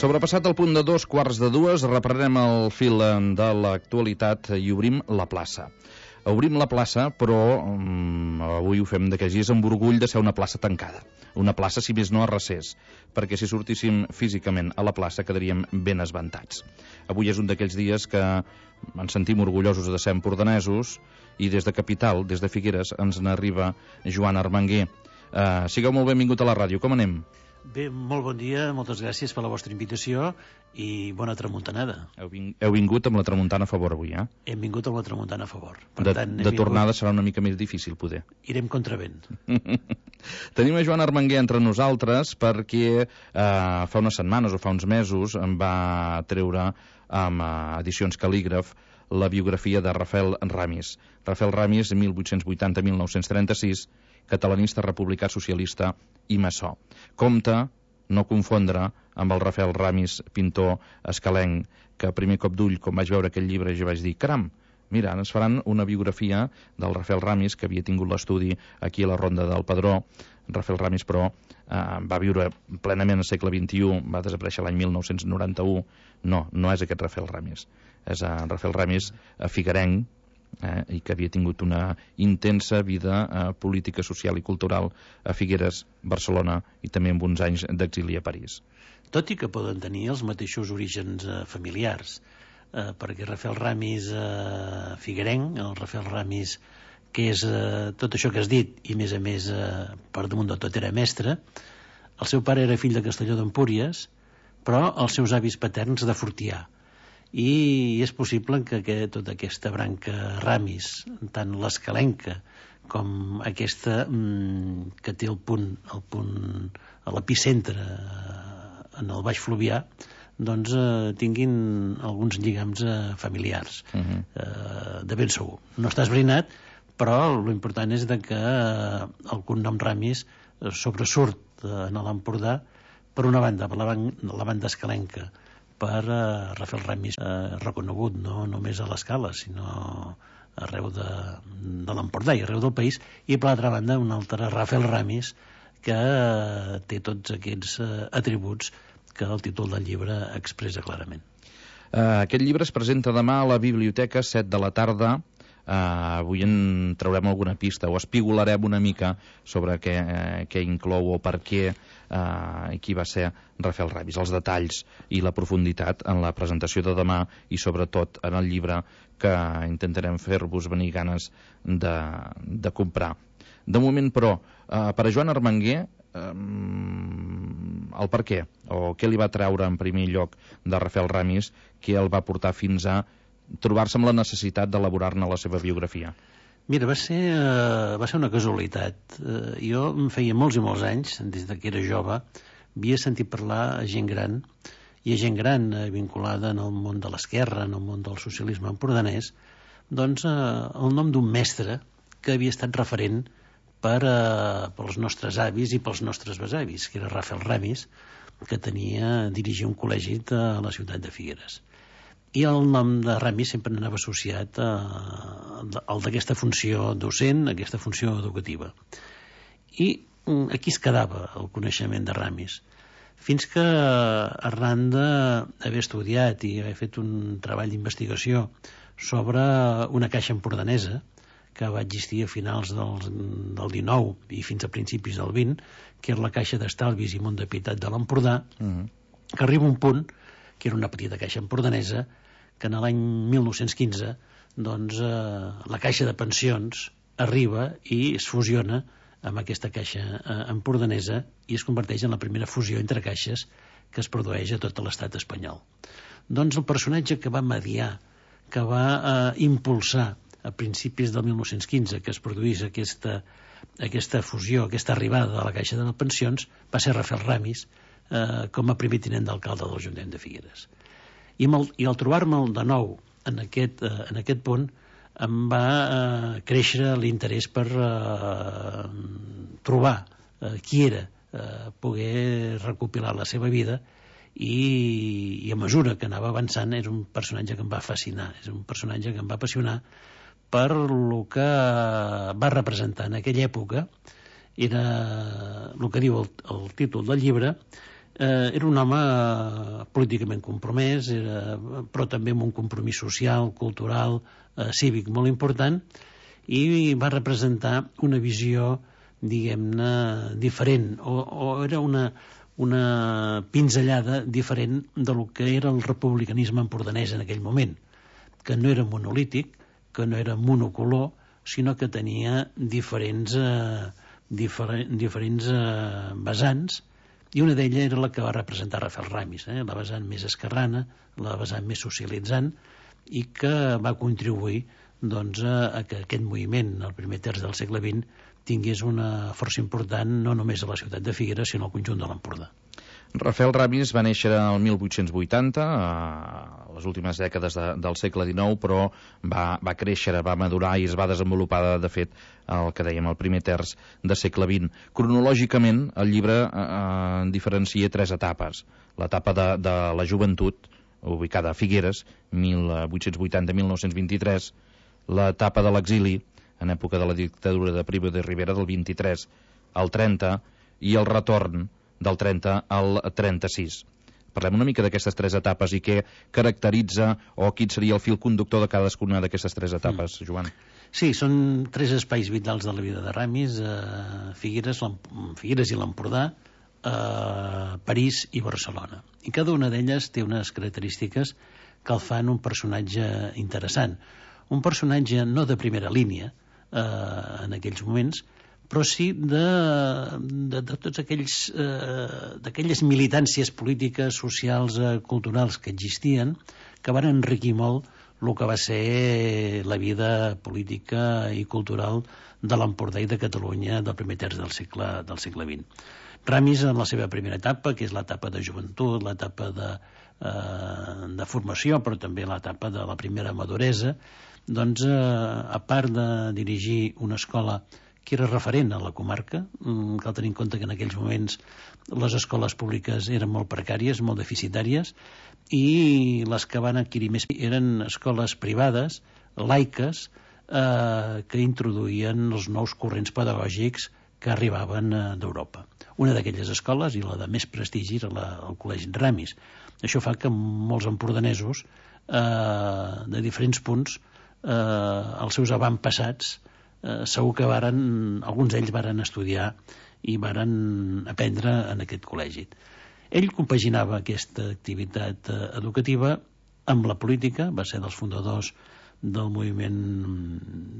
Sobrepassat el punt de 2:15, reprenem el fil de l'actualitat i obrim la plaça. Obrim la plaça, però avui ho fem d'aquells dies amb orgull de ser una plaça tancada. Una plaça, si més no, a recés, perquè si sortíssim físicament a la plaça quedaríem ben esventats. Avui és un d'aquells dies que ens sentim orgullosos de ser empordanesos i des de Capital, des de Figueres, ens n'arriba Joan Armangué. Sigueu molt benvingut a la ràdio, com anem? Bé, molt bon dia, moltes gràcies per la vostra invitació i bona tramuntanada. Heu vingut amb la tramuntana a favor avui, eh? Hem vingut amb la tramuntana a favor. De tornada serà una mica més difícil, poder. Irem contravent. Tenim a Joan Armangué entre nosaltres perquè fa unes setmanes o fa uns mesos em va treure amb Edicions Cal·lígraf la biografia de Rafael Ramis. Rafael Ramis, 1880-1936, catalanista, republicà, socialista i maçó. Compte, no confondre amb el Rafael Ramis, pintor escalenc, que a primer cop d'ull, quan vaig veure aquell llibre, jo vaig dir, caram, mira, ens faran una biografia del Rafael Ramis, que havia tingut l'estudi aquí a la Ronda del Pedró. Rafael Ramis, però, va viure plenament al segle XXI, va desaparèixer l'any 1991. No és aquest Rafael Ramis. És Rafael Ramis figuerenc, i que havia tingut una intensa vida política, social i cultural a Figueres, Barcelona i també amb uns anys d'exili a París. Tot i que poden tenir els mateixos orígens familiars, perquè Rafael Ramis figuerenc, el Rafael Ramis que és tot això que has dit i més a més per damunt de tot era mestre. El seu pare era fill de Castelló d'Empúries, però els seus avis paterns de Fortià. I és possible que tota aquesta branca Ramis, tant l'escalenca com aquesta que té el punt a l'epicentre en el Baix Fluvià, doncs tinguin alguns lligams familiars, de ben segur. No està esbrinat, però l'important és que el cognom Ramis sobresurt en l'Empordà per una banda, per la banda escalenca, per Rafael Ramis reconegut no només a l'Escala sinó arreu de l'Empordà i arreu del país, i per l'altra banda un altre Rafael Ramis que té tots aquests atributs que el títol del llibre expressa clarament. Aquest llibre es presenta demà a la biblioteca, 7 de la tarda. Avui en traurem alguna pista o espigolarem una mica sobre què inclou o per què i qui va ser Rafael Ramis, els detalls i la profunditat en la presentació de demà i sobretot en el llibre que intentarem fer-vos venir ganes de comprar. De moment, però, per a Joan Armangué, el per què o què li va treure en primer lloc de Rafael Ramis que el va portar fins a trobar-se amb la necessitat d'elaborar-ne la seva biografia? Mira, va ser una casualitat. Jo em feia molts i molts anys, des que era jove, havia sentit parlar a gent gran, i a gent gran vinculada en el món de l'esquerra, en el món del socialisme empordanès, doncs el nom d'un mestre que havia estat referent pels nostres avis i pels nostres besavis, que era Rafael Ramis, que dirigia un col·legi a la ciutat de Figueres. I el nom de Ramis sempre anava associat al d'aquesta funció docent, aquesta funció educativa. I aquí es quedava el coneixement de Ramis, fins que arran d'haver estudiat i haver fet un treball d'investigació sobre una caixa empordanesa que va existir a finals del 19 i fins a principis del 20, que era la Caixa d'Estalvis i Mont de Pietat de l'Empordà, que arriba un punt, que era una petita caixa empordanesa, que en l'any 1915 doncs, la Caixa de Pensions arriba i es fusiona amb aquesta caixa empordanesa i es converteix en la primera fusió entre caixes que es produeix a tot l'estat espanyol. Doncs el personatge que va mediar, que va impulsar a principis del 1915 que es produís aquesta fusió, aquesta arribada de la Caixa de Pensions, va ser Rafael Ramis com a primer tinent d'alcalde de l'Ajuntament de Figueres. I al trobar-me'l de nou en aquest punt em va créixer l'interès per trobar qui era, poder recopilar la seva vida i a mesura que anava avançant és un personatge que em va fascinar, és un personatge que em va apassionar per el que va representar en aquella època. Era el que diu el títol del llibre. Era un home políticament compromès, però també amb un compromís social, cultural, cívic molt important, i va representar una visió, diguem-ne, diferent, o era una pinzellada diferent del que era el republicanisme empordanès en aquell moment, que no era monolític, que no era monocolor, sinó que tenia diferents vessants, i una d'elles era la que va representar Rafael Ramis, la vessant més esquerrana, la vessant més socialitzant, i que va contribuir doncs, a que aquest moviment, el primer terç del segle XX, tingués una força important no només a la ciutat de Figueres, sinó al conjunt de l'Empordà. Rafael Ramis va néixer el 1880, a les últimes dècades del segle XIX, però va créixer, va madurar i es va desenvolupar, de fet, el que dèiem, el primer terç del segle XX. Cronològicament, el llibre diferencia 3 etapes. L'etapa de la joventut, ubicada a Figueres, 1880-1923, l'etapa de l'exili, en època de la dictadura de Primo de Rivera, del 23 al 30, i el retorn del 30 al 36. Parlem una mica d'aquestes 3 etapes i què caracteritza o quin seria el fil conductor de cadascuna d'aquestes 3 etapes, Joan. Sí, són 3 espais vitals de la vida de Ramis, Figueres i l'Empordà, París i Barcelona. I cada una d'elles té unes característiques que el fan un personatge interessant. Un personatge no de primera línia en aquells moments, però sí de tots d'aquelles militàncies polítiques, socials, culturals que existien, que van enriquir molt el que va ser la vida política i cultural de l'Empordà i de Catalunya del primer terç del segle XX. Ramis, en la seva primera etapa, que és l'etapa de joventut, l'etapa de formació, però també l'etapa de la primera maduresa, doncs, a part de dirigir una escola que era referent a la comarca, cal tenir en compte que en aquells moments les escoles públiques eren molt precàries, molt deficitàries, i les que van adquirir més eren escoles privades, laiques, que introduïen els nous corrents pedagògics que arribaven d'Europa. Una d'aquelles escoles, i la de més prestigi, era el Col·legi Ramis. Això fa que molts empordanesos, de diferents punts, els seus avantpassats, segur que alguns d'ells varen estudiar i varen aprendre en aquest col·legi. Ell compaginava aquesta activitat educativa amb la política, va ser dels fundadors del moviment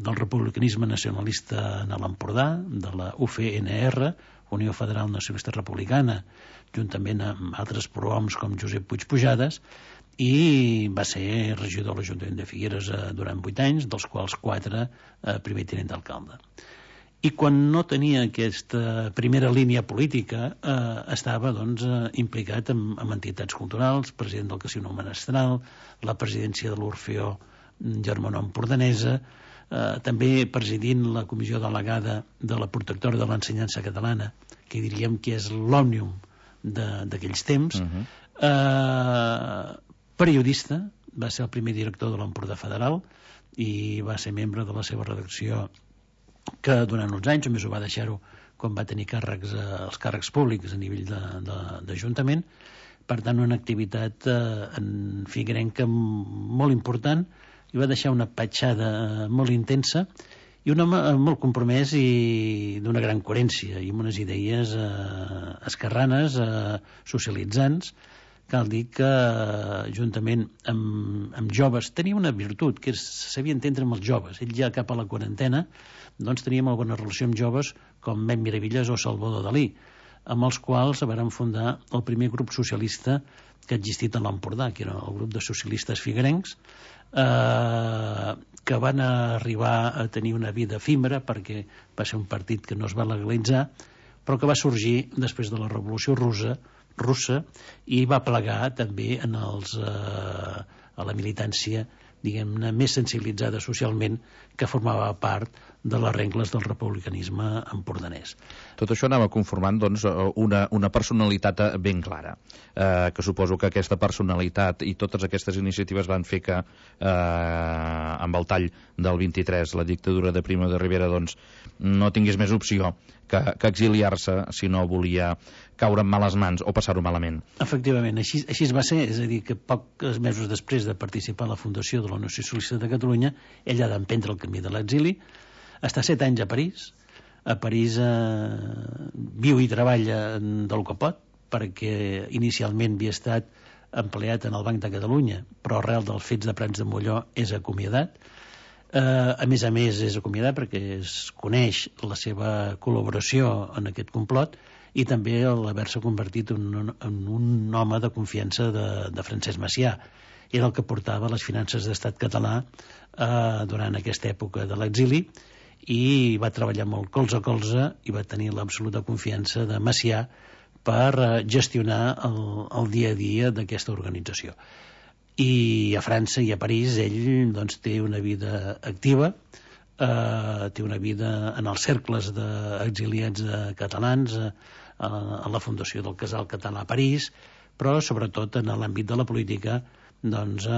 del republicanisme nacionalista en l'Empordà, de la UFNR, Unió Federal Nacionalista Republicana, juntament amb altres prohoms com Josep Puig Pujades, i va ser regidor de l'Ajuntament de Figueres durant 8 anys, dels quals 4 primer tinent d'alcalde. I quan no tenia aquesta primera línia política, estava doncs, implicat en entitats culturals, president del Casino Menestral, la presidència de l'Orfeó Germanó Empordanesa, també presidint la comissió delegada de la protectora de l'ensenyança catalana, que diríem que és l'òmnium d'aquells temps, periodista, va ser el primer director de l'Empordà Federal i va ser membre de la seva redacció, que durant uns anys, només ho va deixar-ho quan va tenir els càrrecs públics a nivell d'Ajuntament. Per tant, una activitat en figuerenca molt important, i va deixar una petjada molt intensa i un home molt compromès i d'una gran coherència i amb unes idees esquerranes, socialitzants. Cal dir que, juntament amb joves, tenia una virtut, que sabia entendre amb els joves. Ell ja cap a la quarantena doncs tenia molt bona relació amb joves com Mem Miravilles o Salvador Dalí, amb els quals van fundar el primer grup socialista que ha existit a l'Empordà, que era el grup de socialistes figuerencs, que van arribar a tenir una vida efímera perquè va ser un partit que no es va legalitzar, però que va sorgir després de la Revolució Russa i va plegar també a la militància, diguem-ne, més sensibilitzada socialment, que formava part de les regles del republicanisme empordanès. Tot això anava conformant doncs, una personalitat ben clara, que suposo que aquesta personalitat i totes aquestes iniciatives van fer que amb el tall del 23 la dictadura de Primo de Rivera doncs, no tingués més opció que exiliar-se si no volia caure en males mans o passar-ho malament. Efectivament, així va ser, és a dir, que pocs mesos després de participar a la fundació de la Unió Socialista de Catalunya, ell ha d'emprendre el camí de l'exili, està 7 anys a París. A París viu i treballa del que pot, perquè inicialment havia estat empleat en el Banc de Catalunya, però arrel dels fets de Prats de Molló és acomiadat. A més, és acomiadat perquè es coneix la seva col·laboració en aquest complot i també l'haver-se convertit en un home de confiança de Francesc Macià. Era el que portava les finances d'estat català durant aquesta època de l'exili i va treballar molt colze a colze i va tenir l'absoluta confiança de Macià per gestionar el dia a dia d'aquesta organització. I a França i a París ell doncs, té una vida activa, té una vida en els cercles d'exiliats catalans, a la fundació del Casal Català a París, però sobretot en l'àmbit de la política doncs,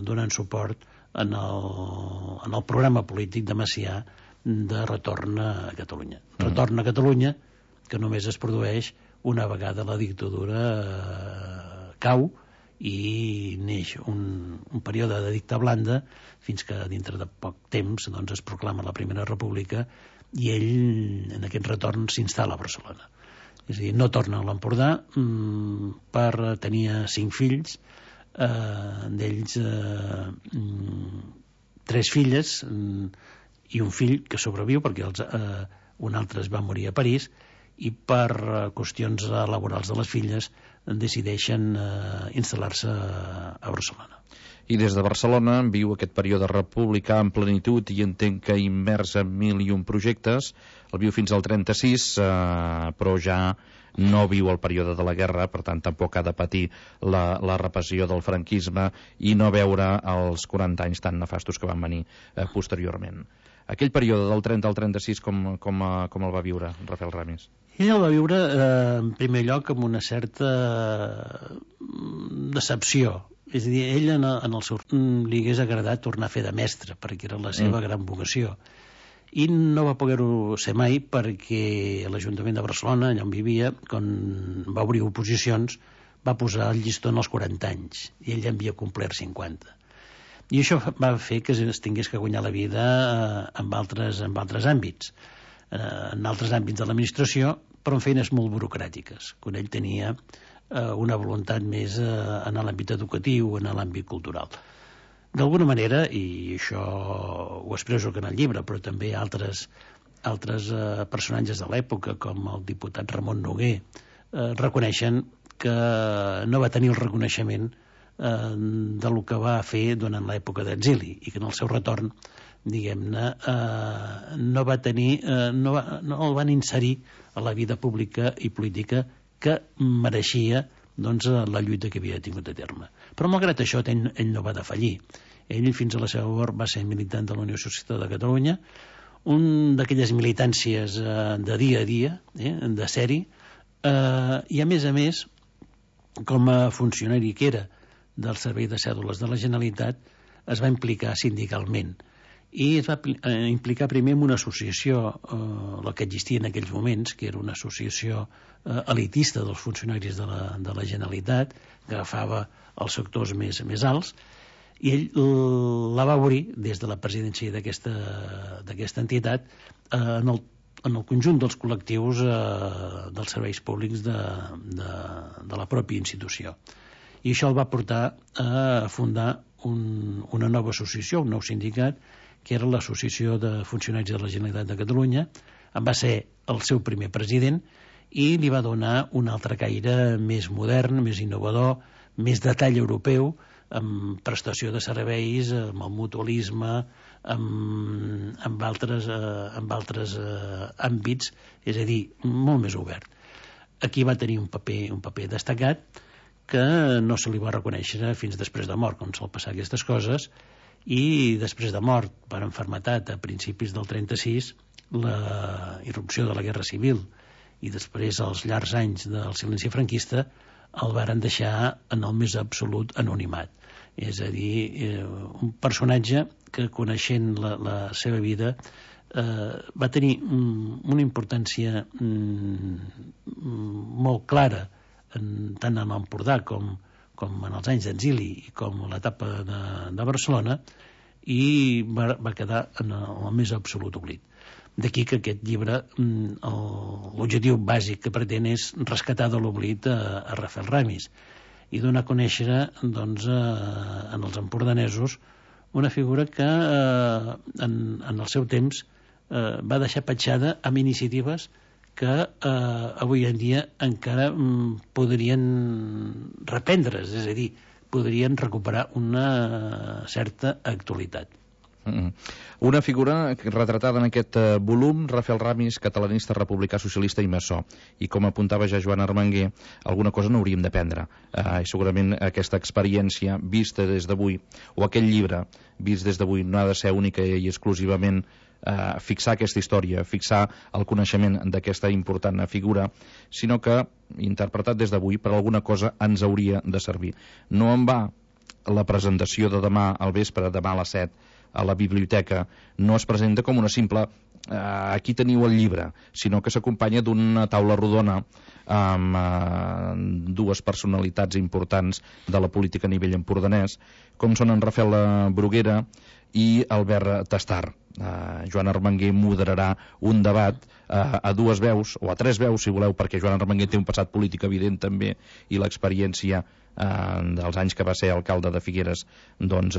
donant suport en el programa polític de Macià de retorn a Catalunya. Retorn a Catalunya que només es produeix una vegada la dictadura cau i neix un període de dicta blanda fins que dintre de poc temps doncs, es proclama la Primera República i ell en aquest retorn s'instal·la a Barcelona. És a dir, no torna a l'Empordà tenia 5 fills, d'ells 3 filles i un fill que sobreviu perquè un altre es va morir a París i per qüestions laborals de les filles decideixen instal·lar-se a Barcelona. I des de Barcelona viu aquest període republicà en plenitud i entenc que immers en 1001 projectes. El viu fins al 36, però ja no viu el període de la guerra, per tant tampoc ha de patir la repressió del franquisme i no veure els 40 anys tan nefastos que van venir posteriorment. Aquell període del 30 al 36 com el va viure Rafael Ramis? Ell el va viure en primer lloc amb una certa decepció. És a dir, ell en el seu li hagués agradat tornar a fer de mestre perquè era la seva gran vocació i no va poder-ho ser mai perquè l'Ajuntament de Barcelona, allà on vivia, quan va obrir oposicions va posar el llistó en els 40 anys i ell ja havia complert 50 i això va fer que es tingués que guanyar la vida en altres àmbits en altres àmbits de l'administració però en feines molt burocràtiques quan ell tenia una voluntat més en l'àmbit educatiu, en l'àmbit cultural. D'alguna manera, i això ho expresso que en el llibre, però també altres personatges de l'època, com el diputat Ramon Noguer, reconeixen que no va tenir el reconeixement del que va fer durant l'època d'exili i que en el seu retorn, diguem-ne, no el van inserir a la vida pública i política que mereixia doncs, la lluita que havia tingut a terme. Però malgrat això ell no va defallir. Ell fins a la seva mort va ser militant de la Unió Socialista de Catalunya, un d'aquelles militàncies de dia a dia, de sèrie, i a més, com a funcionari que era del Servei de Cèdules de la Generalitat, es va implicar sindicalment i es va implicar primer en una associació, la que existia en aquells moments, que era una associació elitista dels funcionaris de la Generalitat, que agafava els sectors més alts, i ell la va obrir des de la presidència d'aquesta entitat en el conjunt dels col·lectius dels serveis públics de la pròpia institució. I això el va portar a fundar una nova associació, un nou sindicat, que era l'Associació de Funcionaris de la Generalitat de Catalunya. En va ser el seu primer president i li va donar un altre caire més modern, més innovador, més de tall europeu, amb prestació de serveis, amb el mutualisme, amb altres àmbits, és a dir, molt més obert. Aquí va tenir un paper destacat que no se li va reconèixer fins després de mort, com sol passar aquestes coses, i després de mort per malaltia a principis del 36, la irrupció de la Guerra Civil i després els llargs anys del silenci franquista el varen deixar en el més absolut anonimat. És a dir, un personatge que, coneixent la seva vida, va tenir una importància molt clara tant en l'Empordà com en els anys d'exili i com l'etapa de Barcelona, i va quedar en el més absolut oblit. D'aquí que aquest llibre, l'objectiu bàsic que pretén és rescatar de l'oblit a Rafael Ramis i donar a conèixer, doncs, en els empordanesos una figura que en el seu temps va deixar petjada amb iniciatives que avui en dia encara podrien reprendre's, és a dir, podrien recuperar una certa actualitat. Una figura retratada en aquest volum, Rafael Ramis, catalanista, republicà, socialista i maçó. I com apuntava ja Joan Armangué, alguna cosa n'hauríem d'aprendre. I segurament aquesta experiència vista des d'avui, o aquell llibre vist des d'avui, no ha de ser única i exclusivament fixar aquesta història, fixar el coneixement d'aquesta important figura, sinó que, interpretat des d'avui, per alguna cosa ens hauria de servir. No en va la presentació de demà al vespre, demà a les 7, a la biblioteca, no es presenta com una simple aquí teniu el llibre, sinó que s'acompanya d'una taula rodona amb dues personalitats importants de la política a nivell empordanès, com són en Rafael Bruguera i Albert Tastar. Joan Armangué moderarà un debat a dues veus, o a tres veus si voleu, perquè Joan Armangué té un passat polític evident també, i l'experiència dels anys que va ser alcalde de Figueres, doncs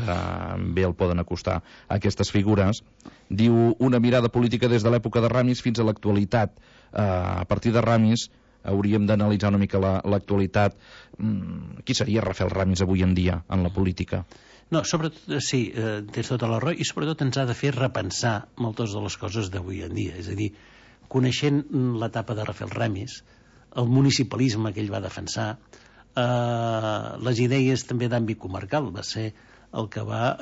bé el poden acostar a aquestes figures. Diu una mirada política des de l'època de Ramis fins a l'actualitat. A partir de Ramis hauríem d'analitzar una mica l'actualitat. Qui seria Rafael Ramis avui en dia en la política? No, sobretot, sí, tens tota la raó, i sobretot ens ha de fer repensar moltes de les coses d'avui en dia. És a dir, coneixent l'etapa de Rafael Ramis, el municipalisme que ell va defensar, les idees també d'àmbit comarcal, va ser el que va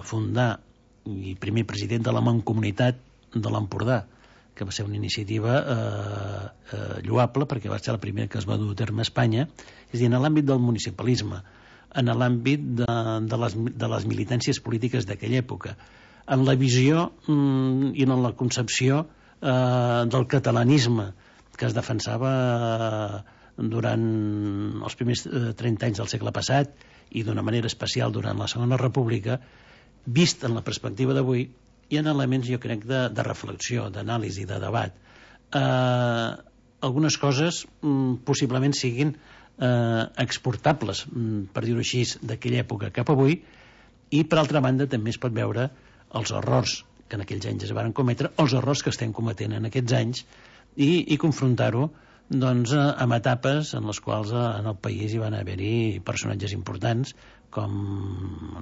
fundar i primer president de la Mancomunitat de l'Empordà, que va ser una iniciativa lloable perquè va ser la primera que es va dur a terme a Espanya, és a dir, en l'àmbit del municipalisme, en l'àmbit de les militàncies polítiques d'aquella època, en la visió i en la concepció del catalanisme que es defensava durant els primers 30 anys del segle passat i d'una manera especial durant la Segona República, vist en la perspectiva d'avui, hi ha elements, jo crec, de reflexió, d'anàlisi, de debat. Algunes coses possiblement siguin exportables, per dir-ho així, d'aquella època cap avui, i per altra banda també es pot veure els errors que en aquells anys es van cometre, els errors que estem cometent en aquests anys, i confrontar-ho doncs amb etapes en les quals en el país hi van haver-hi personatges importants com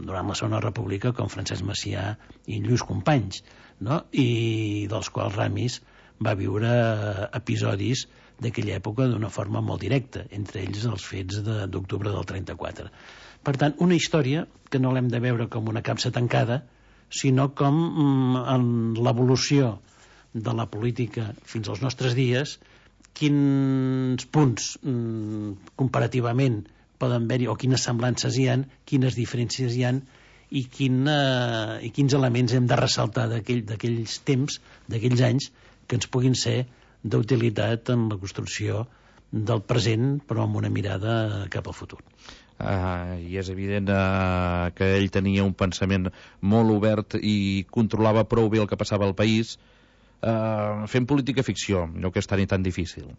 durant la Segona República, com Francesc Macià i Lluís Companys, no? I dels quals Ramis va viure episodis d'aquella època d'una forma molt directa, entre ells els fets d'octubre del 34. Per tant, una història que no l'hem de veure com una capsa tancada, sinó com en l'evolució de la política fins als nostres dies, quins punts comparativament poden haver-hi, o quines semblances hi ha, quines diferències hi ha, i quins elements hem de ressaltar d'aquells temps, d'aquells anys, que ens puguin ser d'utilitat en la construcció del present, però amb una mirada cap al futur. I és evident que ell tenia un pensament molt obert i controlava prou bé el que passava al país. Fent política ficció, allò que és tan i tan difícil.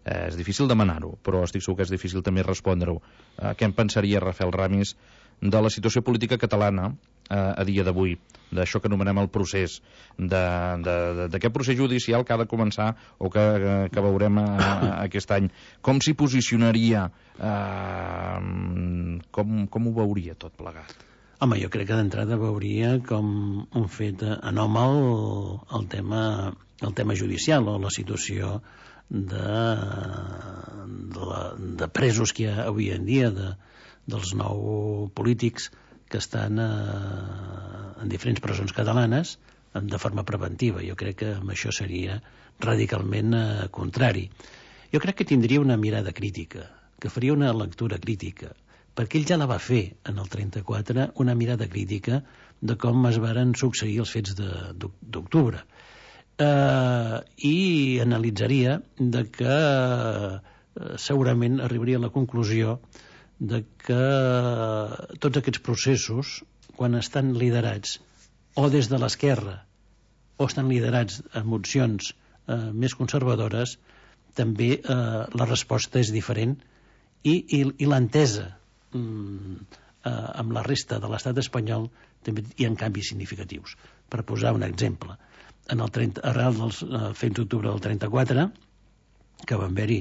És difícil demanar-ho, però estic segur que és difícil també respondre-ho. Què en pensaria Rafael Ramis de la situació política catalana a dia d'avui, d'això que anomenem el procés, d'aquest procés judicial que ha de començar o que veurem aquest any? Com s'hi posicionaria? Com ho veuria tot plegat? Home, jo crec que d'entrada veuria com un fet anòmal el tema judicial, o la situació de presos que hi ha avui en dia, dels 9 polítics que estan en diferents presons catalanes de forma preventiva. Jo crec que amb això seria radicalment contrari. Jo crec que tindria una mirada crítica, que faria una lectura crítica, perquè ell ja la va fer en el 34, una mirada crítica de com es varen succeir els fets d'octubre. I analitzaria de que segurament arribaria a la conclusió de que tots aquests processos, quan estan liderats o des de l'esquerra o estan liderats amb opcions més conservadores, també la resposta és diferent i l'entesa amb la resta de l'estat espanyol també hi ha canvis significatius. Per posar un exemple, arrel dels fets d'octubre del 34, que van haver-hi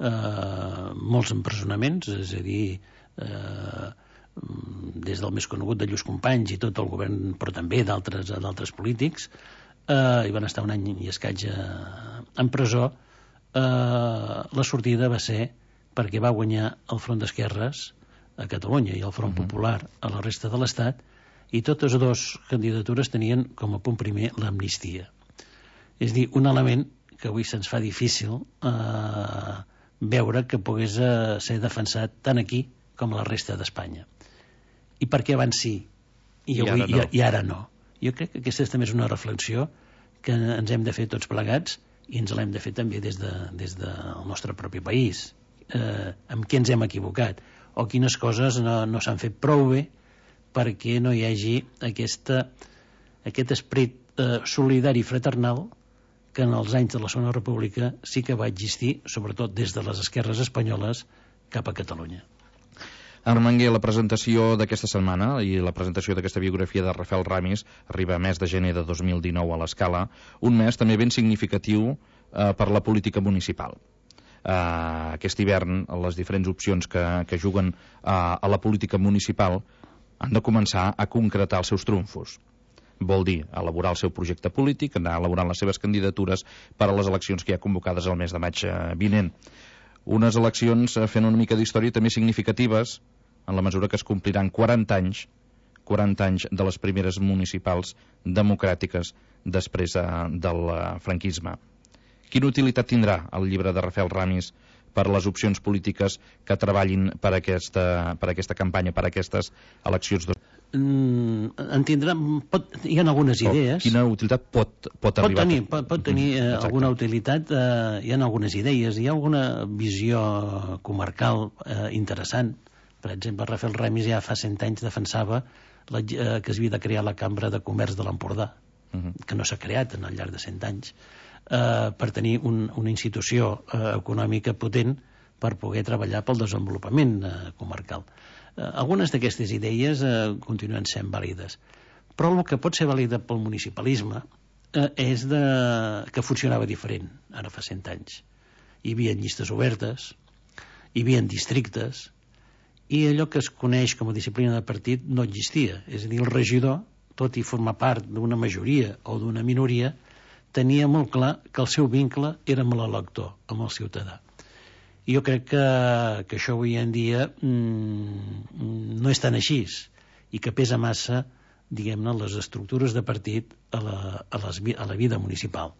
molts empresonaments, és a dir, des del més conegut de Lluís Companys i tot el govern, però també d'altres polítics, i van estar un any i escaig en presó. La sortida va ser perquè va guanyar el Front d'Esquerres a Catalunya i el Front Popular a la resta de l'Estat, i totes dues candidatures tenien com a punt primer l'amnistia. És a dir, un element que avui se'ns fa difícil veure que pogués ser defensat tant aquí com a la resta d'Espanya. I per què abans sí i ara no? Jo crec que aquesta també és una reflexió que ens hem de fer tots plegats, i ens l'hem de fer també des del nostre propi país. Amb què ens hem equivocat o quines coses no s'han fet prou bé perquè no hi hagi aquest esperit solidari i fraternal que en els anys de la Segona República sí que va existir, sobretot des de les esquerres espanyoles cap a Catalunya. Armenguer, la presentació d'aquesta setmana i la presentació d'aquesta biografia de Rafael Ramis arriba a mes de gener de 2019 a l'Escala, un mes també ben significatiu per la política municipal. Aquest hivern les diferents opcions que juguen a la política municipal han de començar a concretar els seus trumfos. Vol dir elaborar el seu projecte polític, anar elaborant les seves candidatures per a les eleccions que hi ha convocades el mes de maig vinent. Unes eleccions fent una mica d'història també significatives en la mesura que es compliran 40 anys de les primeres municipals democràtiques després del franquisme. Quina utilitat tindrà el llibre de Rafael Ramis per les opcions polítiques que treballin per aquesta campanya, per aquestes eleccions? Hi ha algunes idees. Quina utilitat pot arribar? Pot tenir alguna utilitat. Hi ha algunes idees, hi ha alguna visió comarcal interessant. Per exemple, Rafael Ramis ja fa 100 anys defensava que es havia de crear la Cambra de Comerç de l'Empordà, que no s'ha creat al llarg de 100 anys, per tenir una institució econòmica potent per poder treballar pel desenvolupament comarcal. Algunes d'aquestes idees continuen sent vàlides, però el que pot ser vàlida pel municipalisme és que funcionava diferent ara fa 100 anys. Hi havia llistes obertes, hi havia districtes, i allò que es coneix com a disciplina de partit no existia. És a dir, el regidor, tot i formar part d'una majoria o d'una minoria, tenia molt clar que el seu vincle era amb l'elector, amb el ciutadà. I jo crec que això avui en dia no és tan així i que pesa massa, diguem-ne, les estructures de partit a la vida municipal.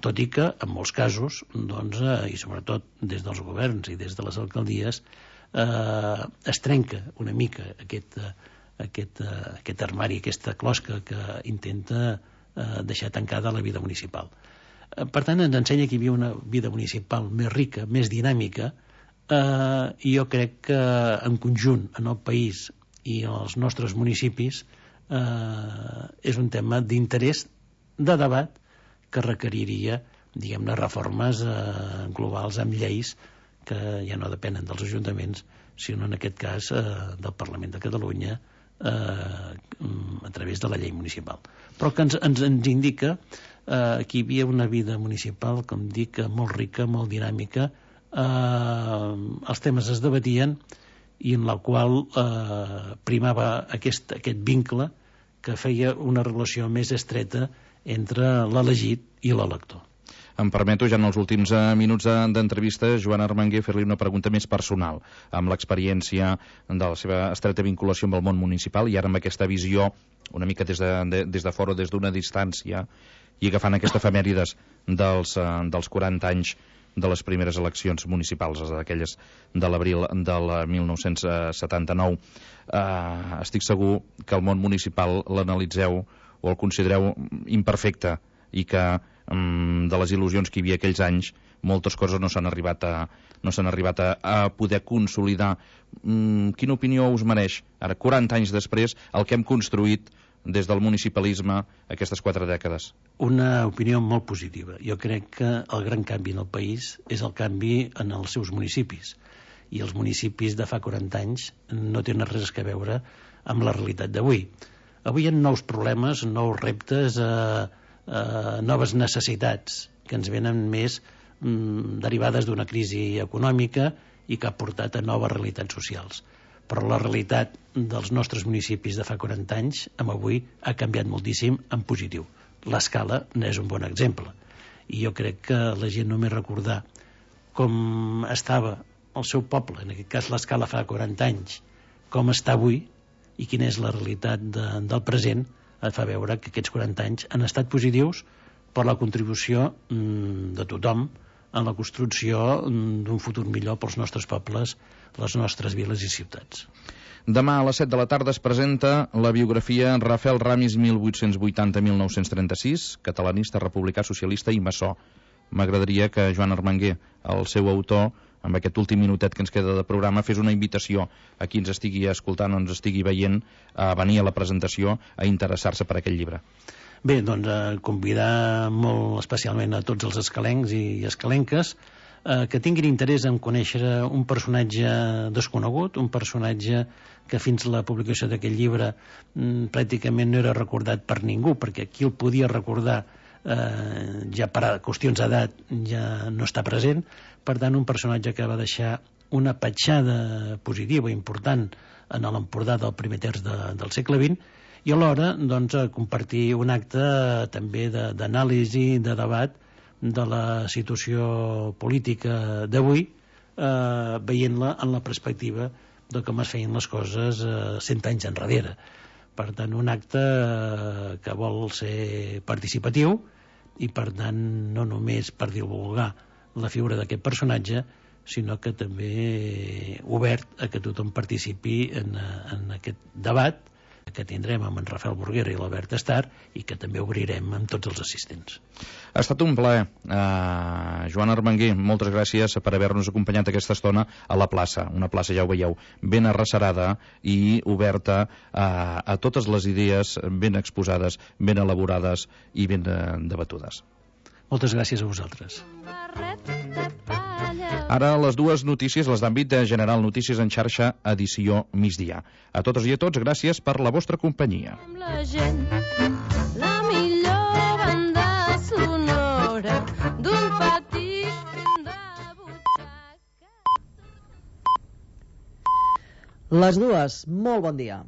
Tot i que, en molts casos, doncs, i sobretot des dels governs i des de les alcaldies, es trenca una mica aquest armari, aquesta closca que intenta deixar tancada la vida municipal. Per tant, ens ensenya que hi havia una vida municipal més rica, més dinàmica, i jo crec que en conjunt en el país i els nostres municipis és un tema d'interès, de debat, que requeriria, diguem-ne, reformes globals amb lleis que ja no depenen dels ajuntaments, sinó en aquest cas del Parlament de Catalunya a través de la llei municipal. Però que ens indica que hi havia una vida municipal, com dic, molt rica, molt dinàmica, els temes es debatien i en la qual primava aquest vincle que feia una relació més estreta entre l'elegit i l'elector. em permeto, ja en els últims minuts d'entrevista, Joan Armangué, fer-li una pregunta més personal, amb l'experiència de la seva estreta vinculació amb el món municipal i ara amb aquesta visió una mica des de fora, des d'una distància, i agafant aquesta efemèrides dels 40 anys de les primeres eleccions municipals, d'aquelles de l'abril del 1979. Estic segur que el món municipal l'analitzeu o el considereu imperfecte i que de les il·lusions que hi havia aquells anys moltes coses no s'han arribat a poder consolidar. Quina opinió us mereix ara, 40 anys després, el que hem construït des del municipalisme aquestes 4 dècades? Una opinió molt positiva. Jo crec que el gran canvi en el país és el canvi en els seus municipis. I els municipis de fa 40 anys no tenen res a veure amb la realitat d'avui. Avui hi ha nous problemes, nous reptes, noves necessitats que ens venen més derivades d'una crisi econòmica i que ha portat a noves realitats socials. Però la realitat dels nostres municipis de fa 40 anys amb avui ha canviat moltíssim en positiu. L'Escala n'és un bon exemple. I jo crec que la gent només recordar com estava el seu poble, en aquest cas l'Escala fa 40 anys, com està avui i quina és la realitat del present, et fa veure que aquests 40 anys han estat positius per la contribució de tothom en la construcció d'un futur millor pels nostres pobles, les nostres viles i ciutats. Demà a les 7 de la tarda es presenta la biografia Rafael Ramis 1880-1936, catalanista, republicà, socialista i maçó. M'agradaria que Joan Armangué, el seu autor, amb aquest últim minutet que ens queda de programa, fes una invitació a qui ens estigui escoltant o ens estigui veient a venir a la presentació a interessar-se per aquest llibre. Bé, doncs convidar molt especialment a tots els escalencs i escalenques que tinguin interès en conèixer un personatge desconegut, un personatge que fins a la publicació d'aquest llibre pràcticament no era recordat per ningú, perquè qui el podia recordar ja per qüestions d'edat ja no està present. Per tant, un personatge que va deixar una petjada positiva important en l'Empordà del primer terç del segle XX i alhora doncs, compartir un acte també d'anàlisi, de debat de la situació política d'avui, veient-la en la perspectiva de com es feien les coses 100 anys enrere. Per tant, un acte que vol ser participatiu i, per tant, no només per divulgar la figura d'aquest personatge, sinó que també obert a que tothom participi en aquest debat que tindrem amb en Rafael Burguera i l'Albert Estar i que també obrirem amb tots els assistents. Ha estat un plaer. Joan Armangué, moltes gràcies per haver-nos acompanyat aquesta estona a la plaça, una plaça, ja ho veieu, ben arrecerada i oberta a totes les idees ben exposades, ben elaborades i ben debatudes. Moltes gràcies a vosaltres. Ara les dues notícies, les d'àmbit general, Notícies en xarxa, edició migdia. A totes i a tots, gràcies per la vostra companyia. La gent, la millor banda sonora d'un petit de butxaca. Les dues, molt bon dia.